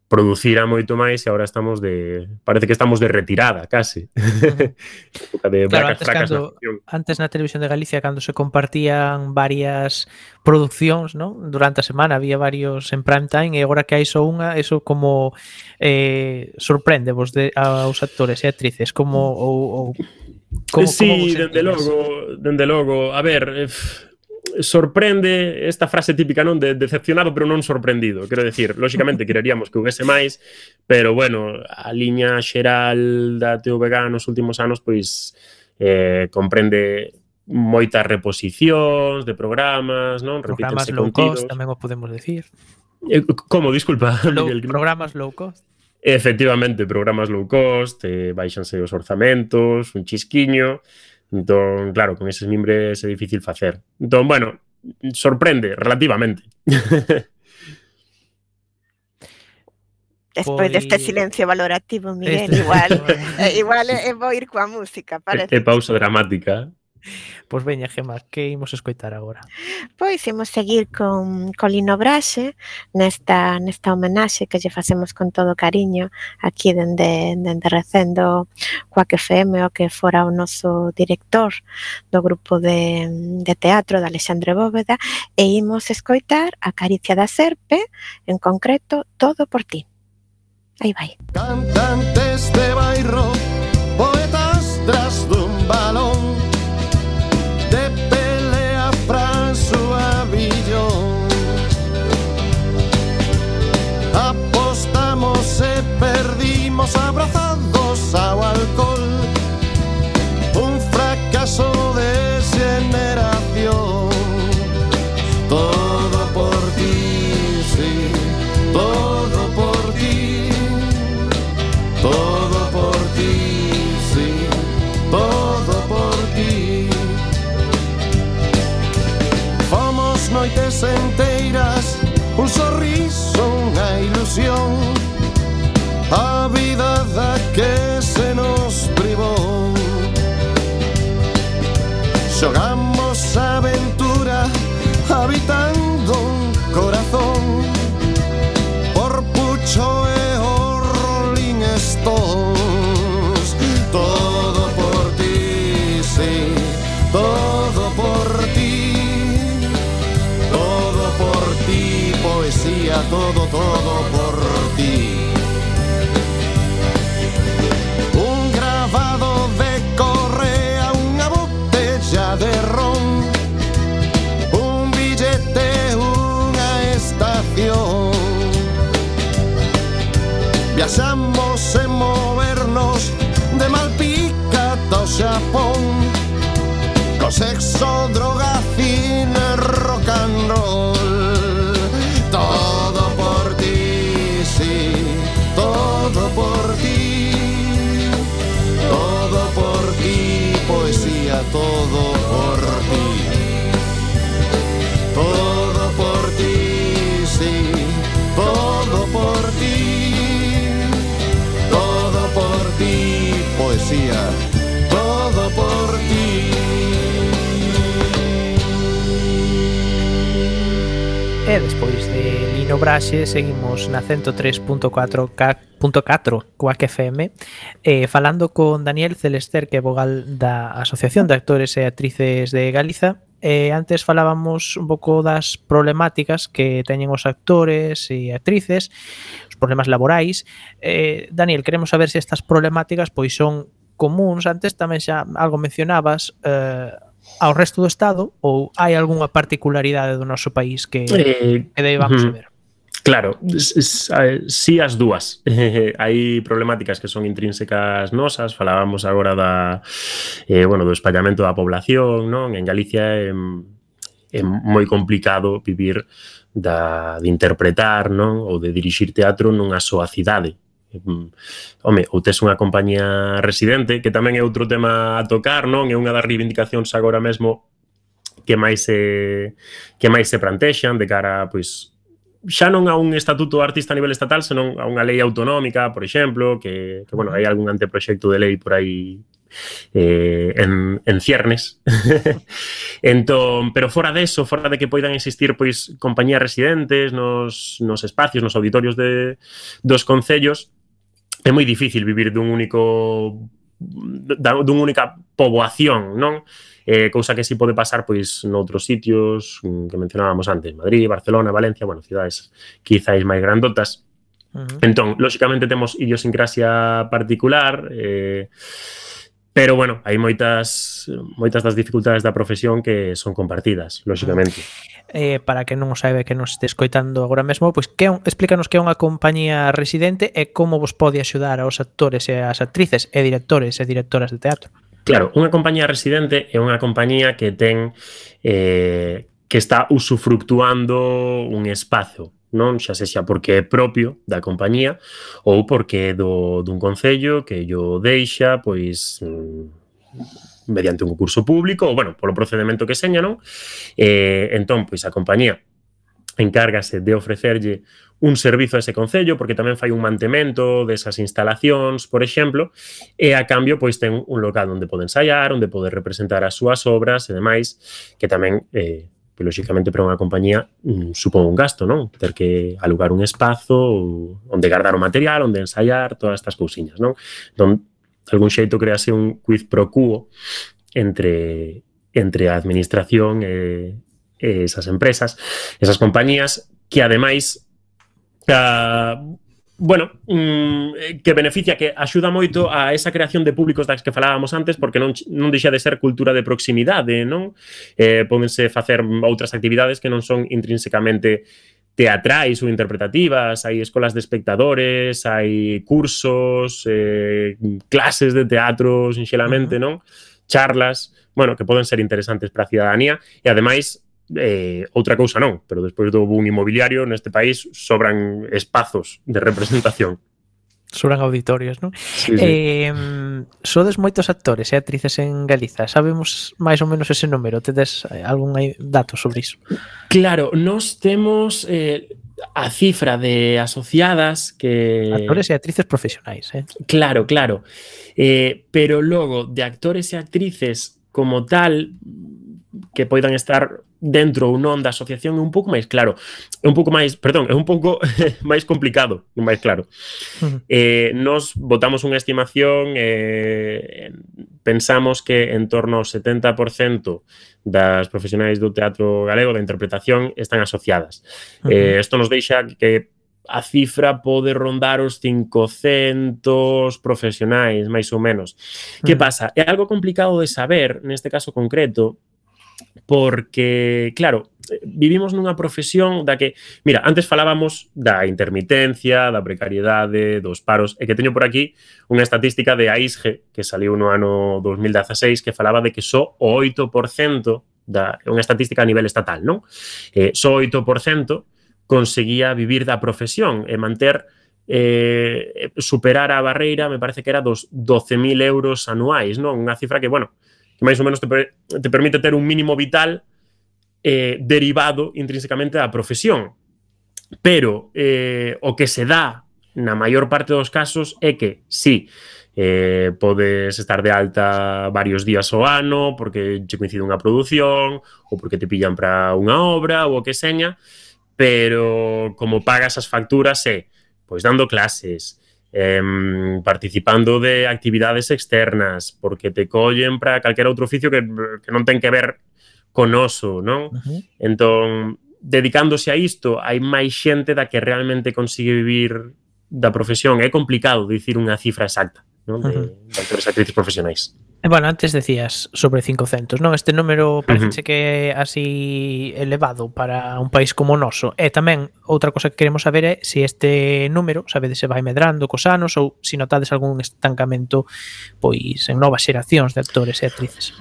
producira moito máis e agora estamos de... Parece que estamos de retirada, case. Uh-huh. de claro, antes, cando, antes na Televisión de Galicia, cando se compartían varias produccións, non? Durante a semana había varios en prime time e agora que hai só unha, eso como eh, sorprende vos de, aos actores e actrices, como... Ou, ou, como sí, como dende logo, dende logo. A ver... Eh, sorprende esta frase típica, non? De decepcionado pero non sorprendido. Quero decir, lóxicamente quereríamos que houvese máis, pero bueno, a liña xeral da T V G nos últimos anos pois eh, comprende moitas reposicións de programas, non? Programas low cost, tamén o podemos decir. Eh, como, disculpa? Low, programas low cost. Efectivamente, programas low cost, eh, baixanse os orzamentos, un chisquiño. Entón, claro, con eses mimbres é difícil facer. Entón, bueno, sorprende relativamente. Despois pues... deste silencio valorativo, Miguel, este... igual eh, igual é vou ir coa música, parece. É pausa dramática. Pois pues veña, Gemma, que imos escoitar agora? Pois imos seguir con, con Lino Braxe nesta, nesta homenaxe que lle facemos con todo cariño aquí dende, dende Recendo Coac F M, o que fora o noso director do grupo de, de teatro de Alexandre Bóveda, e imos escoitar a Caricia da Serpe, en concreto Todo por ti. Aí vai. Cantantes de bairro, poetas tras dun balón, de pelea Franço Avillón. Apostamos e perdimos abrazados ao alcohol, un fracaso de generación. Todo por ti, sí, todo por ti, todo por ti, sí, todo por ti. Fomos noites enteiras, un sorriso, unha ilusión, a vida da que se nos privou. Xogamos a aventura habitando un corazón, por Pucho e o Rolling Stones. Todo por ti, sí, todo por ti, todo todo, todo por ti. Un grabado de Correa, unha botella de ron, un billete, unha estación. Viaxamos en movernos de Malpica ao Xapón, co sexo, droga, cine, rock and roll. Todo por ti, sí, todo por ti, todo por ti, poesía, todo por ti, todo por ti, sí, todo por ti, todo por ti, poesía, todo por ti. E despois de Lino Braxe seguimos na ciento tres punto catro Quack F M eh, falando con Daniel Celester, que é vogal da Asociación de Actores e Actrices de Galiza. Eh, antes falábamos un pouco das problemáticas que teñen os actores e actrices, os problemas laborais. Eh, Daniel, queremos saber se estas problemáticas pois son comuns. Antes tamén xa algo mencionabas eh, ao resto do Estado, ou hai algunha particularidade do noso país que, Eh, que debamos ujú. saber? Claro, s- s- eh, sí as dúas. Hai problemáticas que son intrínsecas nosas, falábamos agora da, eh, bueno, do espallamento da población, non? En Galicia é, é moi complicado vivir da, de interpretar, non? Ou de dirixir teatro nunha soa cidade. Mm, Home, ou tes unha compañía residente, que tamén é outro tema a tocar, non? É unha das reivindicacións agora mesmo que máis se que máis se plantexan de cara, pois, xa non a un estatuto de artista a nivel estatal, senón a unha lei autonómica, por exemplo, que, que bueno, hai algún anteproxecto de lei por aí eh, en, en ciernes. Entón, pero fora deso, fora de que poidan existir pois compañías residentes nos, nos espacios, nos auditorios de, dos concellos, é moi difícil vivir dun único da, dun única poboación, non? Eh, cousa que si pode pasar pois noutros sitios que mencionábamos antes, Madrid, Barcelona, Valencia, bueno, cidades quizáis máis grandotas. Uh-huh. Entón, lóxicamente temos idiosincrasia particular, eh, pero, bueno, hai moitas moitas das dificultades da profesión que son compartidas, lóxicamente. Eh, para que non o saiba, que nos este escoitando agora mesmo, pois que é un, explícanos que é unha compañía residente e como vos pode axudar aos actores e as actrices e directores e directoras de teatro. Claro, unha compañía residente é unha compañía que ten eh, que está usufructuando un espazo, non? Xa sexa porque é propio da compañía ou porque é do, dun concello que yo deixa, pois, mm, mediante un concurso público ou, bueno, polo procedimento que seña, non? Eh, entón, pois, a compañía encárgase de ofrecerlle un servizo a ese concello, porque tamén fai un mantemento desas instalacións, por exemplo, e a cambio pois ten un local onde pode ensaiar, onde pode representar as súas obras e demais, que tamén, eh, pois, lóxicamente, para unha compañía mm, supón un gasto, non? Ter que alugar un espazo onde guardar o material, onde ensaiar, todas estas cousiñas, non? Entón, de algún xeito crease un quid pro quo entre, entre a administración e, e esas empresas, esas compañías, que ademais Uh, bueno, mm, que beneficia, que axuda moito a esa creación de públicos das que falábamos antes, porque non, non deixa de ser cultura de proximidade, non? Eh, pódense facer outras actividades que non son intrínsecamente teatrais ou interpretativas, hai escolas de espectadores, hai cursos, eh, clases de teatro, sinxelamente, non? Charlas, bueno, que poden ser interesantes para a cidadanía e, ademais, Eh, outra cousa non, pero despois do boom inmobiliario neste país sobran espazos de representación. Sobran auditorios, non? Sí, sí. Eh, sodes moitos actores e actrices en Galiza. Sabemos máis ou menos ese número? Tedes algún dato sobre iso? Claro, nós temos eh, a cifra de asociadas que... Actores e actrices profesionais, eh? Claro, claro. Eh, pero logo, de actores e actrices como tal, que poidan estar dentro ou non da asociación é un pouco máis claro. É un pouco máis, perdón, é un pouco máis complicado, non máis claro. Uh-huh. Eh, nos botamos unha estimación, eh, pensamos que en torno ao setenta por cento das profesionais do teatro galego, da interpretación, están asociadas. Uh-huh. Eh, isto nos deixa que a cifra pode rondar os cincocentos profesionais, máis ou menos. Uh-huh. Que pasa? É algo complicado de saber, neste caso concreto, porque, claro, vivimos nunha profesión da que, mira, antes falábamos da intermitencia, da precariedade, dos paros, e que teño por aquí unha estatística de A I S G, que saliu no ano dos mil dezaseis, que falaba de que só o oito por cento, da, unha estatística a nivel estatal, non? Eh, só o oito por cento conseguía vivir da profesión e manter, eh, superar a barreira, me parece que era dos doce mil euros anuais, non? Unha cifra que, bueno, que máis ou menos te, te permite ter un mínimo vital eh, derivado intrínsecamente da profesión. Pero eh, o que se dá na maior parte dos casos é que, sí, eh, podes estar de alta varios días ao ano porque che coincide unha produción ou porque te pillan para unha obra ou o que seña, pero como pagas as facturas é pois dando clases, Eh, participando de actividades externas, porque te collen para calquera outro oficio que, que non ten que ver con oso, non? Uh-huh. Entón, dedicándose a isto, hai máis xente da que realmente consigue vivir da profesión. É complicado dicir unha cifra exacta, non? De, uh-huh. de actores e actrices profesionais. E, bueno, antes decías sobre cincocentos, non? Este número parece uh-huh. que é así elevado para un país como o noso. E tamén, outra cosa que queremos saber é se este número, sabedes, se vai medrando cos anos ou se notades algún estancamento pois en novas xeracións de actores e actrices.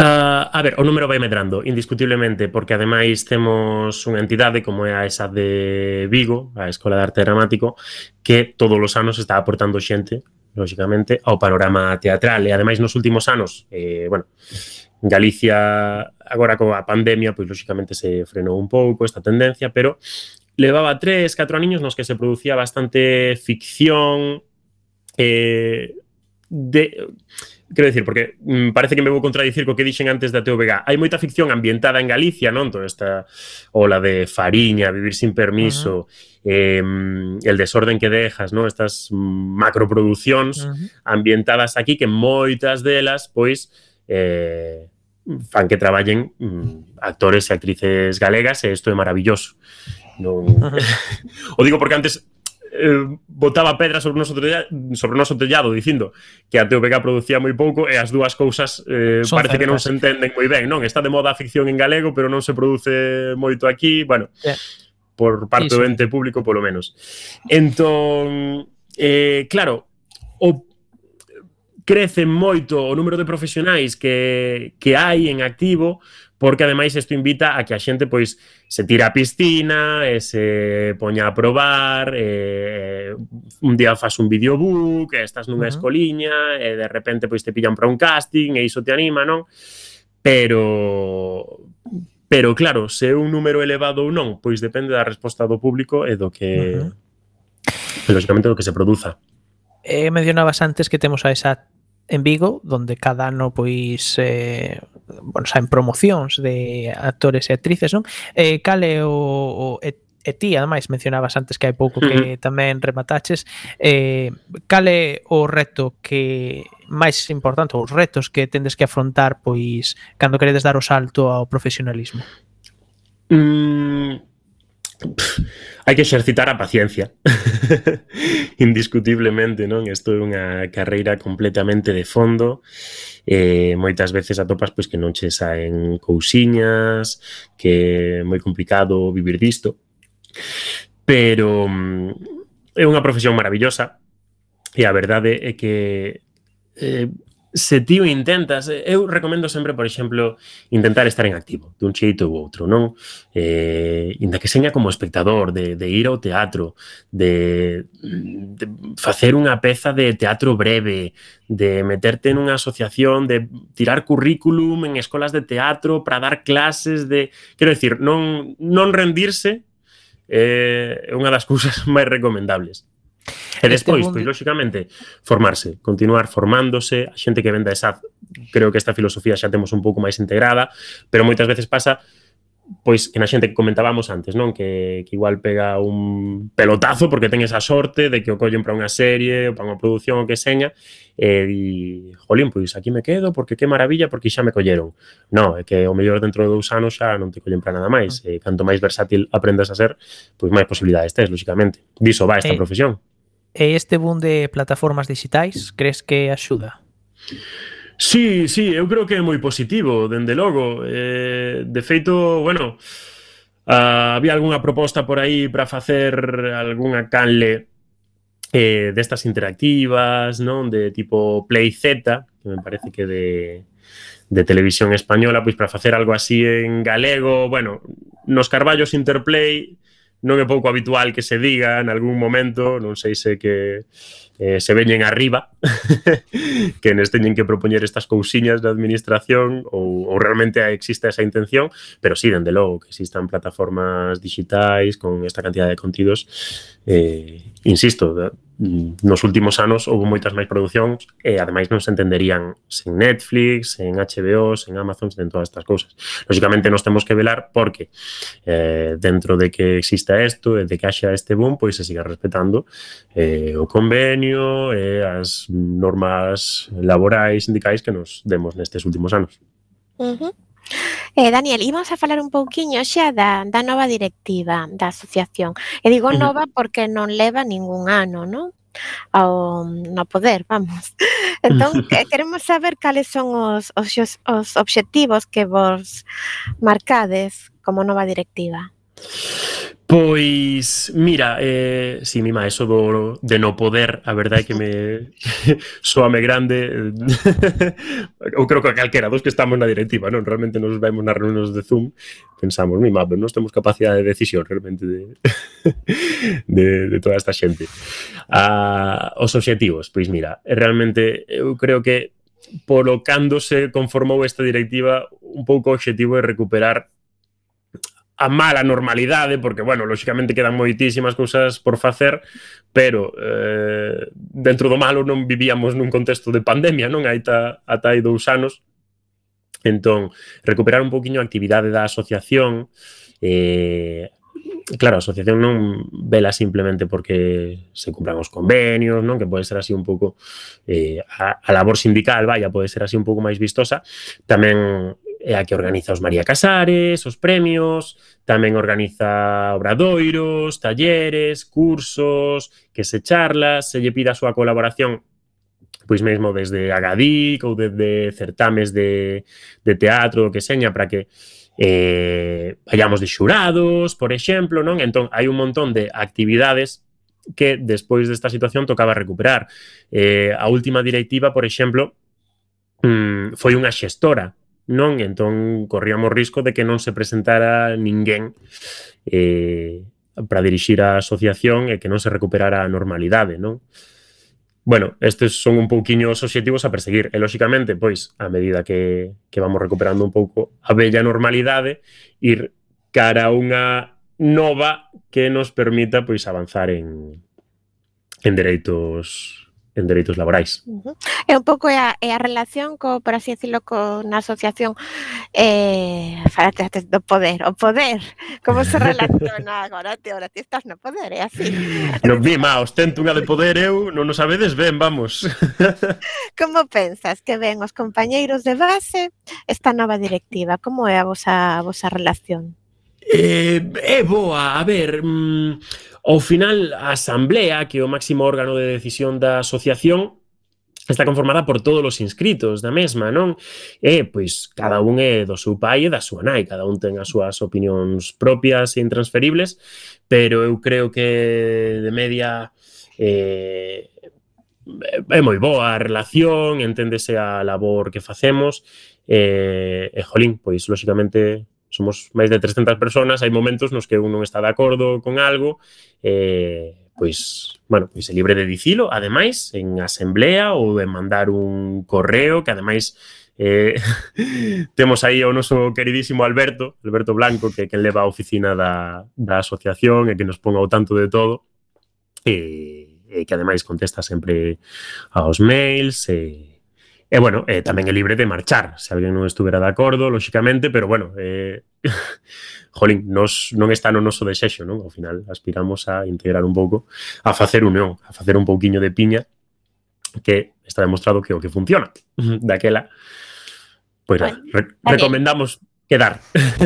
Uh, a ver, o número vai medrando, indiscutiblemente, porque ademais temos unha entidade como é a esa de Vigo, a Escola de Arte Dramático, que todos os anos está aportando xente, lógicamente, ao panorama teatral. E, ademais, nos últimos anos, eh, bueno, Galicia, agora coa pandemia, pois, lógicamente, se frenou un pouco esta tendencia, pero levaba tres, catro aniños nos que se producía bastante ficción, eh, de... Quero dicir, porque mm, parece que me vou contradicir co que dixen antes da T V G. Hai moita ficción ambientada en Galicia, non? Toda esta ola de Fariña, Vivir sin permiso, uh-huh. eh, El desorden que dejas, non? Estas macroproduccións uh-huh. ambientadas aquí, que moitas delas, pois, eh, fan que traballen mm, actores e actrices galegas, e isto é maravilloso. Non... Uh-huh. O digo porque antes... Eh, botaba pedras sobre o noso tellado, sobre o noso tellado dicindo que a T V G producía moi pouco e as dúas cousas eh, parece certas. Que non se entenden moi ben, non? Está de moda a ficción en galego, pero non se produce moito aquí, bueno, yeah. por parte sí, do ente sí. público polo menos. Entón, eh, claro, o crece moito o número de profesionais que, que hai en activo, porque ademais isto invita a que a xente pois se tira a piscina e se poña a probar, e un día faz un videobook, e estás nunha uh-huh. escoliña e de repente pois te pillan para un casting e iso te anima, non? Pero pero claro, se é un número elevado ou non, pois depende da resposta do público e do que uh-huh. lógicamente do que se produza. Eh, mencionabas antes que temos a esa en Vigo, donde cada ano pois eh, bueno, saen promocións de actores e actrices, non? Eh, cal é o, o e, e ti, ademais, mencionabas antes que hai pouco que uh-huh. tamén remataches, eh, cal é o reto que máis importante, os retos que tendes que afrontar pois cando queredes dar o salto ao profesionalismo? Mm, hai que exercitar a paciencia. Indiscutiblemente, non? Isto é unha carreira completamente de fondo. Eh, moitas veces atopas pois que non che saen cousiñas, que é moi complicado vivir disto. Pero é unha profesión maravillosa e a verdade é que eh, se ti o intentas, eu recomendo sempre, por exemplo, intentar estar en activo, dun xeito ou outro, non? Eh, inda que seña como espectador, de, de ir ao teatro, de, de facer unha peza de teatro breve, de meterte nunha asociación, de tirar currículum en escolas de teatro para dar clases de... Quero dicir, non, non rendirse é eh, unha das cousas máis recomendables. E despois, Este pois, mundo- lóxicamente, formarse, continuar formándose, a xente que venda esa, creo que esta filosofía xa temos un pouco máis integrada, pero moitas veces pasa pois que na xente que comentábamos antes, non? Que, que igual pega un pelotazo porque ten esa sorte de que o collen para unha serie ou para unha produción o que seña e di, jolín, pois aquí me quedo porque que maravilla, porque xa me colleron. Non, é que o mellor dentro de dous anos xa non te collen para nada máis. E canto máis versátil aprendas a ser, pois máis posibilidades tes, lóxicamente. Diso va esta Eh, profesión. E este boom de plataformas digitais, crees que axuda? Sí, sí, eu creo que é moi positivo, dende logo. Eh, de feito, bueno, uh, había algunha proposta por aí para facer algunha canle eh, destas interactivas, non? De tipo Play Z, que me parece que de, de televisión española, pois para facer algo así en galego, bueno, nos Carballos Interplay non é pouco habitual que se diga en algún momento, non sei se que eh, se veñen arriba que nos teñen que propoñer estas cousiñas da administración ou, ou realmente existe esa intención, pero sí, dende logo que existan plataformas digitais con esta cantidad de contidos, eh, insisto, nos últimos anos houve moitas máis producións e ademais non se entenderían sen Netflix, sen H B O, sen Amazon, sen todas estas cousas. Lógicamente nos temos que velar porque eh, dentro de que exista isto e de que haxa este boom, pois se siga respetando eh, o convenio e as normas laborais, sindicais que nos demos nestes últimos anos. Uh-huh. Eh, Daniel, íbamos a falar un pouquiño xa da, da nova directiva da asociación. E digo Uh-huh. nova porque non leva ningún ano, non? Ao, no poder, vamos. Entón, que- queremos saber cales son os, os, xos- os obxectivos que vos marcades como nova directiva. Pois, mira, eh, si, mima, eso do, de no poder, a verdade é que me soame grande. Eu creo que a calquera dos que estamos na directiva, non? Realmente nos vemos nas reunións de Zoom, pensamos, mima, pero non temos capacidade de decisión realmente de, de, de toda esta xente. Ah, os obxectivos, pois mira, realmente eu creo que polo cando se conformou esta directiva, un pouco o obxectivo é recuperar a mala normalidade, porque, bueno, lóxicamente quedan moitísimas cousas por facer, pero eh, dentro do malo non vivíamos nun contexto de pandemia, non? Aita, ata hai dous anos. Entón, recuperar un poquinho a actividade da asociación. Eh, claro, a asociación non vela simplemente porque se cumplan os convenios, non? Que pode ser así un pouco eh, a, a labor sindical, vaya, pode ser así un pouco máis vistosa. Tamén é a que organiza os María Casares, os premios, tamén organiza obradoiros, talleres, cursos, que se charlas, se lle pida a súa colaboración pois mesmo desde Agadic ou desde certames de, de teatro, que seña, para que eh, vayamos de xurados, por exemplo, non? Entón, hai un montón de actividades que despois desta situación tocaba recuperar. Eh, a última directiva, por exemplo, mm, foi unha xestora, non? Entón, corríamos risco de que non se presentara ninguén eh, para dirixir a asociación e que non se recuperara a normalidade, non? Bueno, estes son un pouquiño os obxectivos a perseguir. E, lóxicamente, pois, a medida que, que vamos recuperando un pouco a bella normalidade, ir cara a unha nova que nos permita, pois, avanzar en, en dereitos en dereitos laborais. Uh-huh. É un pouco é a, é a relación co, por así decirlo, co, na asociación eh, falate antes do poder, o poder, como se relaciona agora, ti, ahora ti estás no poder, é así. Non, mima, ostento unha de poder eu, non o sabedes ben, vamos. Como pensas que ven os compañeiros de base esta nova directiva? Como é a vosa, a vosa relación? Eh, é boa, a ver, mmm, ao final a asamblea, que é o máximo órgano de decisión da asociación, está conformada por todos os inscritos da mesma, non? E, pois, cada un é do seu pai e da súa nai, cada un ten as súas opinións propias e intransferibles, pero eu creo que de media eh, é moi boa a relación, enténdese a labor que facemos, e, e jolín, pois, lóxicamente, somos máis de trescentas personas, hai momentos nos que un non está de acordo con algo, eh, pois, bueno, pois é libre de dicilo, ademais, en asamblea ou de mandar un correo, que ademais eh, temos aí o noso queridísimo Alberto, Alberto Blanco, que, que leva a oficina da, da asociación e que nos ponga ao tanto de todo, e, e que ademais contesta sempre aos mails e, e bueno, eh, tamén é libre de marchar se alguén non estuvera de acordo, lóxicamente, pero bueno, eh, jolín, nos non está no noso desexo, non? Ao final aspiramos a integrar un pouco, a facer unión, a facer un pouquiño de piña, que está demostrado que o que funciona daquela, pois pues, bueno, re recomendamos quedar.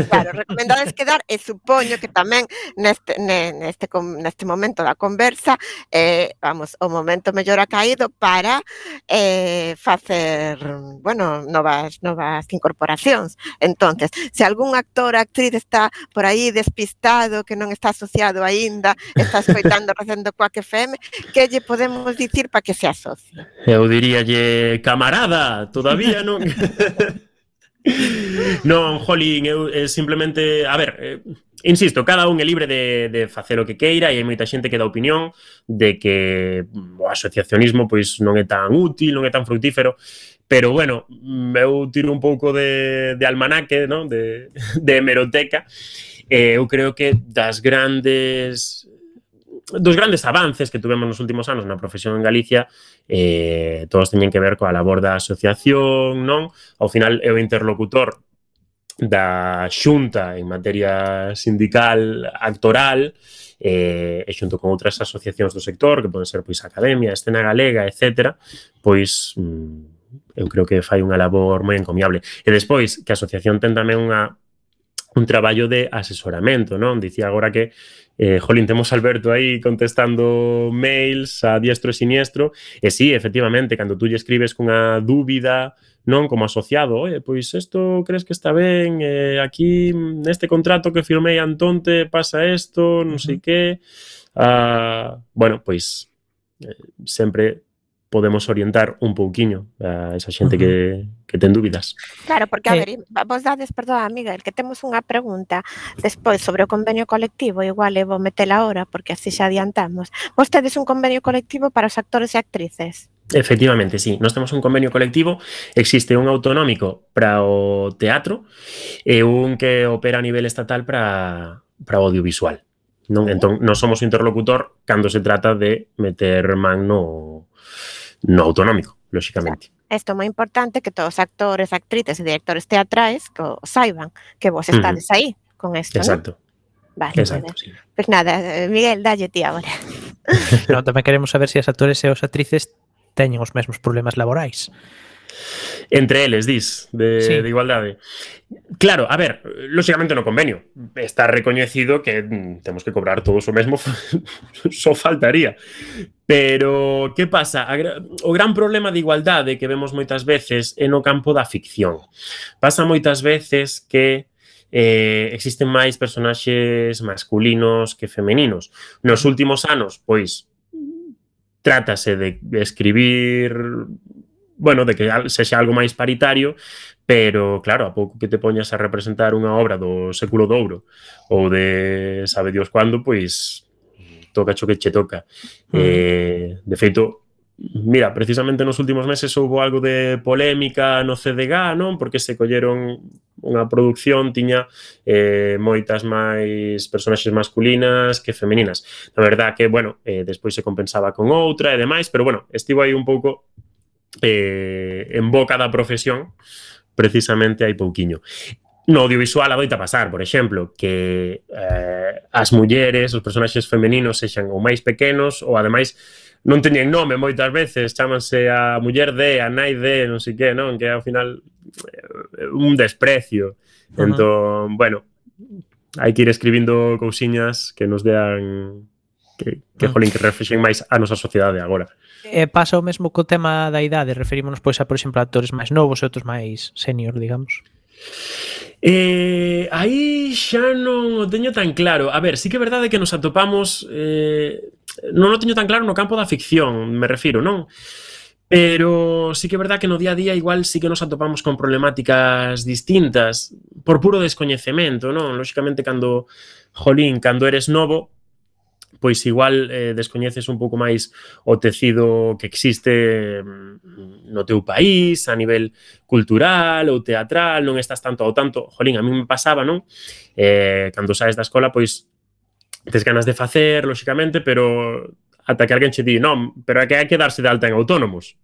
Claro, recomendades quedar e supoño que tamén neste, neste, neste momento da conversa eh, vamos, o momento mellor ha caído para eh, facer, bueno, novas, novas incorporacións. Entonces, se algún actor ou actriz está por aí despistado, que non está asociado aínda, está escoitando Recendo Coac F M, que lle podemos dicir para que se asocie? Eu diríalle, camarada, todavía non... Non, jolín, eu eh, simplemente, a ver, eh, insisto, cada un é libre de, de facer o que queira e hai moita xente que dá opinión de que o asociacionismo pois non é tan útil, non é tan fructífero, pero bueno, eu tiro un pouco de, de almanaque, non? De, de hemeroteca, e eu creo que das grandes... dos grandes avances que tuvemos nos últimos anos na profesión en Galicia, eh, todos teñen que ver coa labor da asociación, non? Ao final é o interlocutor da xunta en materia sindical actoral, eh, e xunto con outras asociacións do sector, que poden ser pois Academia, Escena Galega, etcétera, pois mm, eu creo que fai unha labor moi encomiable. E despois, que a asociación ten tamén unha un traballo de asesoramento, non? Dicía agora que eh, jolín, temos Alberto aí contestando mails a diestro e siniestro, e sí, efectivamente, cando tú lle escribes cunha dúbida, non, como asociado, oye, pois isto crees que está ben, eh, aquí neste contrato que firmei Antonte pasa isto, non sei que, uh, bueno, pois eh, sempre podemos orientar un pouquiño a esa xente uh -huh. que, que ten dúbidas. Claro, porque, a ver, vos dades, perdón, Miguel, que temos unha pregunta despois sobre o convenio colectivo, igual eu vou metela ahora, porque así xa adiantamos. Vos tedes un convenio colectivo para os actores e actrices? Efectivamente, sí. Nós temos un convenio colectivo, existe un autonómico para o teatro e un que opera a nivel estatal para, para o audiovisual. Non? Entón, nós somos interlocutor cando se trata de meter man no no autonómico, lóxicamente. Isto é moi importante que todos os actores, actrices e directores teatrais que o saiban, que vos estades uh -huh. aí con isto, exacto. ¿no? Vale, exacto, pues, sí. Pues nada, Miguel, dalle ti agora. No, tamén queremos saber se as actores e os actrices teñen os mesmos problemas laborais. Entre eles, dis, de, sí. de igualdade. Claro, a ver, lóxicamente no convenio está recoñecido que mm, temos que cobrar todos o mesmo, só faltaría. Pero, que pasa? O gran problema de igualdade que vemos moitas veces é no campo da ficción. Pasa moitas veces que eh, existen máis personaxes masculinos que femeninos. Nos últimos anos, pois, trátase de escribir... bueno, de que sexa algo máis paritario, pero, claro, a pouco que te poñas a representar unha obra do século de ouro ou de sabe Dios cuándo, pois toca cho que che toca. Mm. Eh, de feito, mira, precisamente nos últimos meses houve algo de polémica no C D G A, non? Porque se colleron unha produción, tiña eh, moitas máis personaxes masculinas que femeninas. Na verdad que, bueno, eh, despois se compensaba con outra e demais, pero, bueno, estivo aí un pouco... Eh, en boca da profesión precisamente hai pouquiño. No audiovisual adoita pasar, por exemplo, que eh, as mulleres, os personaxes femeninos sexan ou máis pequenos ou ademais non teñen nome moitas veces, chámanse a muller de, a nai de, non sei que, non? Que ao final eh, un desprecio. Uh-huh. Entón, bueno, hai que ir escribindo cousiñas que nos dean que, que uh-huh. jolín, que reflexen máis a nosa sociedade agora. E pasa o mesmo co tema da idade, referímonos pois a, por exemplo, a actores máis novos e outros máis senior, digamos. Eh, aí xa non o teño tan claro. A ver, sí que é verdade que nos atopamos eh, non o teño tan claro no campo da ficción, me refiro, non? Pero sí que é verdade que no día a día igual sí que nos atopamos con problemáticas distintas por puro descoñecemento, non? Lóxicamente, cando, jolín, cando eres novo, pois igual eh, descoñeces un pouco máis o tecido que existe no teu país, a nivel cultural ou teatral, non estás tanto ao tanto. Jolín, a mí me pasaba, non? Eh, cando saes da escola, pois tes ganas de facer, lóxicamente, pero ata que alguén che di, non, pero é que hai que darse de alta en autónomos.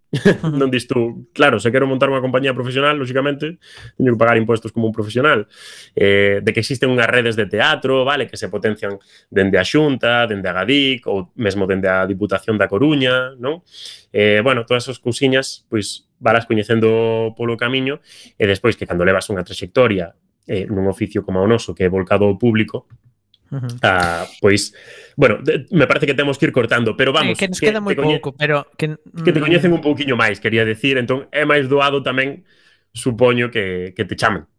Non dis tú, claro, se quero montar unha compañía profesional, lógicamente, teño que pagar impuestos como un profesional. Eh, de que existen unhas redes de teatro, vale, que se potencian dende a Xunta, dende a Gadic, ou mesmo dende a Diputación da Coruña, non? Eh, bueno, todas esas cousiñas, pois, valas coñecendo polo camiño, e despois que cando levas unha trayectoria eh, nun oficio como o noso, que é volcado ao público, Uh -huh. ah, pois, bueno, de, me parece que temos que ir cortando, pero vamos, eh, que nos queda moi pouco, pero que, que te coñecen un pouquiño máis, quería decir, entón é máis doado tamén, supoño, que, que te chamen.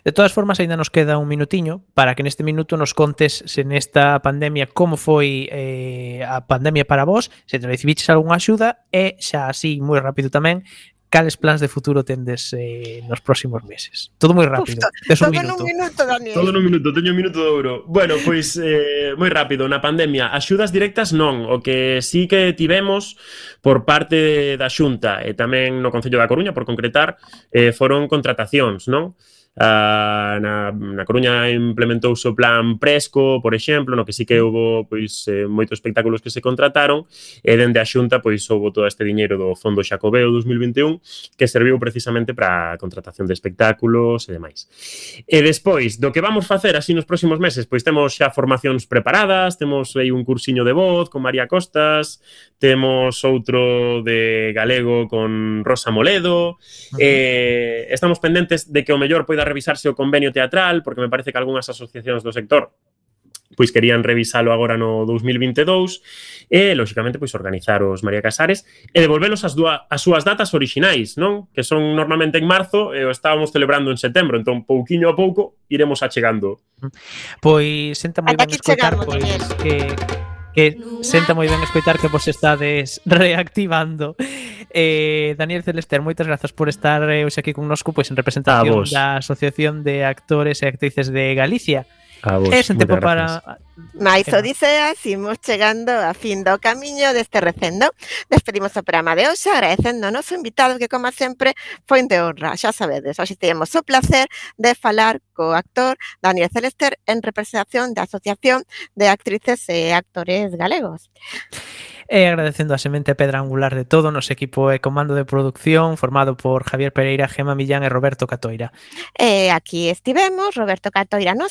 De todas formas, ainda nos queda un minutiño para que neste minuto nos contes se nesta pandemia como foi eh, a pandemia para vos, se te recibiches algunha axuda e xa así moi rápido tamén cales plans de futuro tendes eh, nos próximos meses. Todo moi rápido. Uf, todo un minuto. minuto, Daniel. Todo nun minuto, teño un minuto de ouro. Bueno, pois eh, moi rápido, na pandemia, axudas directas non, o que sí que tivemos por parte da Xunta e tamén no Concello da Coruña, por concretar, eh, foron contratacións, non? Uh, na, na Coruña implementouse o plan Presco, por exemplo, no que sí que houve pois, eh, moitos espectáculos que se contrataron e dende a Xunta pois houve todo este diñeiro do Fondo Xacobeo dos mil vinte e un que serviu precisamente para a contratación de espectáculos e demais. E despois, do que vamos facer así nos próximos meses, pois temos xa formacións preparadas, temos aí un cursiño de voz con María Costas, temos outro de galego con Rosa Moledo, uh-huh. eh, estamos pendentes de que o mellor poida revisarse o convenio teatral, porque me parece que algunhas asociacións do sector pois querían revisalo agora no dous mil vinte e dous e, lóxicamente, pois organizar os María Casares e devolvelos as, dúa, as súas datas orixinais, non? Que son normalmente en marzo e o estábamos celebrando en setembro, entón, pouquiño a pouco, iremos achegando. Pois, senta moi ben escoitar, pois, que... que senta moi ben escoitar que vos estades reactivando. Eh, Daniel Celester, moitas grazas por estar eh, hoxe aquí connosco pois en representación da Asociación de Actores e Actrices de Galicia. A vos, é sen tempo para... Mais odiseas, imos chegando a fin do camiño deste recendo. Despedimos o programa de hoxe agradecendo ao noso invitado que, como sempre, foi de honra. Xa sabedes, hoxe temos o placer de falar co actor Daniel Celester en representación da Asociación de Actrices e Actores Galegos. E agradecendo a semente pedra angular de todo nos equipo e comando de producción formado por Javier Pereira, Gema Millán e Roberto Catoira. E aquí estivemos, Roberto Catoira nos